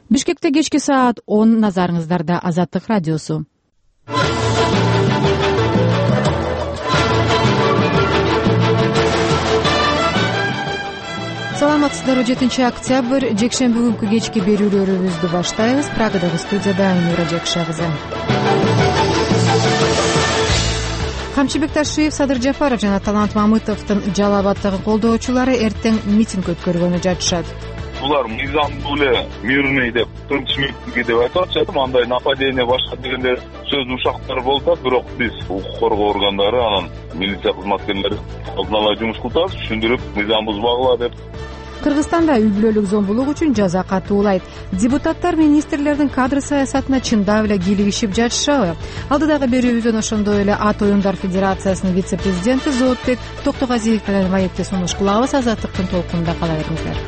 Бишкекте кечки саат 10 назарыңыздарда Азаттык радиосу. Саламатсыздарбы, 7 октябрь жекшемби күнкү кечки берүүлөрүбүздү баштайбыз. Прагадагы студияда Айнура Жекша кызы. Камчыбек Ташиев, Садыр Жапаров жана Талант Мамытовдун Жалал абаддагы колдоочулары эртең митинг өткөргөнү жатышат. Булар мыйзамдуу эле мирный деп, тынч митинги деп айтып атышат. Андай нападение башка дегендер сөз ушактар болуп атат, бирок биз укук коргоо органдары, анан милиция кызматкерлери алдын ала жумуш кылып атабыз, түшүндүрүп, мыйзам бузбагыла деп. Кыргызстанда үй-бүлөлүк зомбулук үчүн жаза катуулайт. Депутаттар министрлердин кадр саясатына чындап эле кийлигишип жатышабы? Алдыдагы берүүбүздөн ошондой эле Ат оюндар федерациясынын вице-президенти Зоотбек Токтогазиев менен маекти сунуш кылабыз. Азаттыктын толкунунда кала бериңиздер.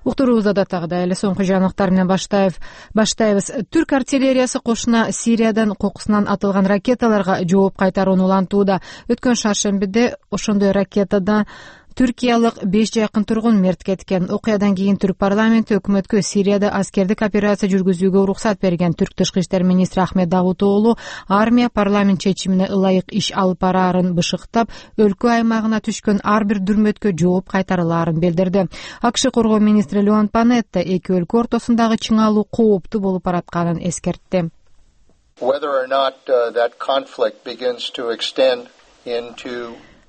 Уктуруубузда датагыдай эле соңку жаңылыктар менен баштайбыз. Түрк артиллериясы кошуна Сириядан кокусунан атылган ракеталарга жооп кайтарууну улантууда. Өткөн шаршембиде ошондой ракетада түркиялык 5 жакын тургун мерт кеткен. Окуядан кийин Түрк парламенти өкмөткө Сирияда аскердик операция жүргүзүүгө уруксат берген. Түрк тышкы иштер министри Ахмет Давутоглу армия парламент чечимине ылайык иш алып бараарын бышыктап, өлкө аймагына түшкөн ар бир дүрмөткө жооп кайтарылаарын билдирди. АКШ коргоо министри Леон Панетта эки өлкө ортосундагы чыңалуу кооптуу болуп баратканын эскертти.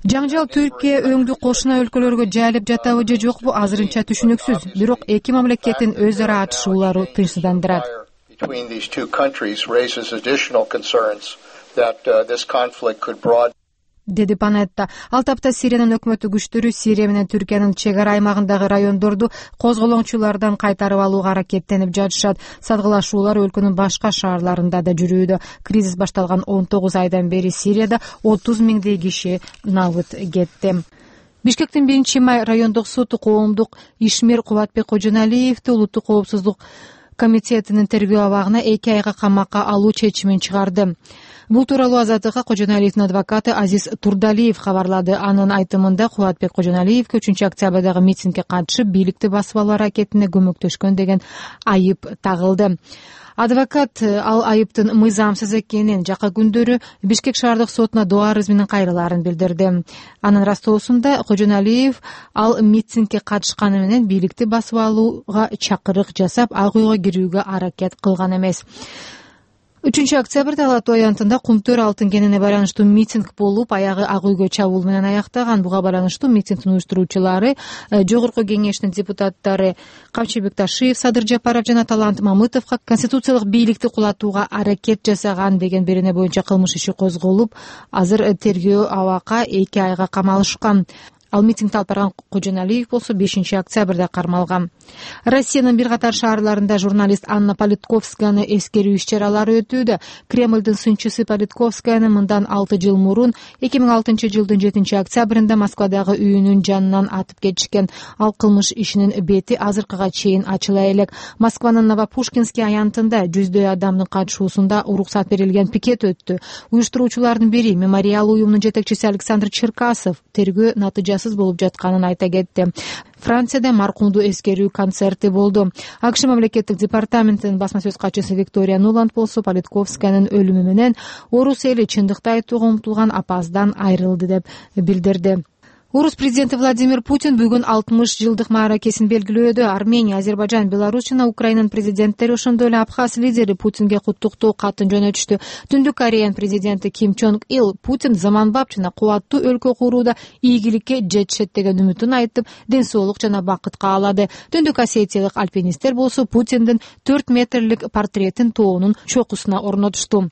Жаңжал Түркия өңдүү кошуна өлкөлөргө жайылып жатабы же жокпу азырынча түшүнүксүз. Бирок эки мамлекеттин өз ара атышуулары тынчсыздандырат, деди Панетта. Ал тапта Сириянын өкмөттүк күчтөрү Сирия менен Түркиянын чек ара аймагындагы райондорду козголоңчулардан кайтарып алууга аракеттенип жатышат. Садгылашуулар өлкөнүн башка шаарларында да жүрүүдө. Кризис башталган 19 айдан бери Сирияда 30 миңдей киши набыт кетти. Бишкектин 1-май райондук соту коомдук ишмер Кубатбек Кожоналиевди улуттук коопсуздук комитетинин тергөө абагына 2 айга камакка алуу чечимин чыгарды. Бул тууралуу Азаттыкка Кожоналиевдин адвокаты Азиз Турдалиев кабарлады. Анын айтымында Кубатбек Кожоналиевге 3 октябрдагы митингге катышып, бийликти басып алуу аракетине көмөктөшкөн деген айып тагылды. Адвокат ал айыптын мыйзамсыз экенин, жакка күндөрү Бишкек шаардык сотуна доо арыз менен кайрылаарын билдирди. Анын растоосунда Кожоналиев ал митингге катышканы менен бийликти басып алууга чакырык жасап, ак үйгө кирүүгө аракет кылган эмес. 3 октябрда Ала-Тоо аянтында Кумтөр алтын кенине байланыштуу митинг болуп, аягы ак үйгө чабуул менен аяктаган. Буга байланыштуу митингдин уюштуруучулары Жогорку кеңештин депутаттары Камчыбек Ташиев, Садыр Жапаров жана Талант Мамытовго конституциялык бийликти кулатууга аракет жасаган деген берене боюнча кылмыш иши козголуп, азыр тергөө абакка 2 айга камалышкан. Ал митингди алып барган Кожоналиев болсо 5 октябрда кармалган. Россиянын бир катар шаарларында журналист Анна Политковскаяны эскерүү иш-чаралары өтүүдө. Кремлдин сынчысы Политковскаяны мындан 6 жыл мурун 2006 жылдын 7 октябрында Москвадагы үйүнүн жанынан атып кетишкен. Ал кылмыш ишинин бети азыркыга чейин ачыла элек. Москванын Новопушкинский аянтында жүздөй адамдын катышуусунда уруксат берилген пикет өттү. Уюштуруучулардын бири, мемориал уюмунун жетекчиси Александр Черкасов, тергөө натыйжасыз болуп жатканын айта кетти. Францияда маркумду эскерүү концерти болду. АКШ мамлекеттик департаментинин басма сөз катчысы Виктория Нуланд болсо Политковскаянын өлүмү менен орус эли чындыкты айтууга умтулган апаздан айрылды деп билдирди. Орус президенти Владимир Путин бүгүн 60 жылдык мааракесин белгилөөдө. Армения, Азербайжан, Беларусь жана Украинанын президенттери, ошондой эле Абхаз лидери Путинге куттуктоо катын жөнөтүштү. Түндүк Кореянын президенти Ким Чонг Ил Путин заманбап жана кубаттуу өлкө курууда ийгиликке жетишет деген үмүтүн айтып, ден соолук жана бакыт каалады. Түндүк Осетиялык альпинисттер болсо Путиндин 4 метрлик портретин тоонун чокусуна орнотушту.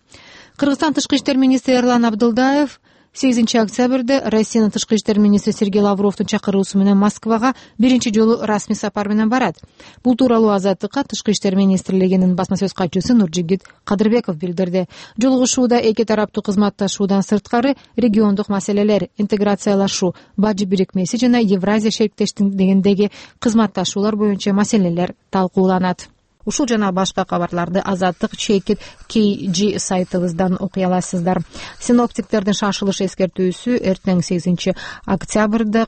Кыргызстан тышкы иштер министри Эрлан Абдылдаев 8 октябрда Россиянын тышкы иштер министри Сергей Лавровдун чакыруусу менен Москвага биринчи жолу расмий сапар менен барат. Бул тууралуу Азаттыкка тышкы иштер министрлигинин басма сөз катчысы Нуржигит Кадырбеков билдирди. Жолугушууда эки тараптуу кызматташуудан сырткары региондук маселелер, интеграциялашуу, бажы бирикмеси жана Евразия шериктештигиндеги кызматташуулар боюнча маселелер талкууланат. Ушул жана башка кабарларды Азаттык чекит KG сайтыбыздан окуй аласыздар. Синоптиктердин шашылыш эскертүүсү эртең 8 октябрда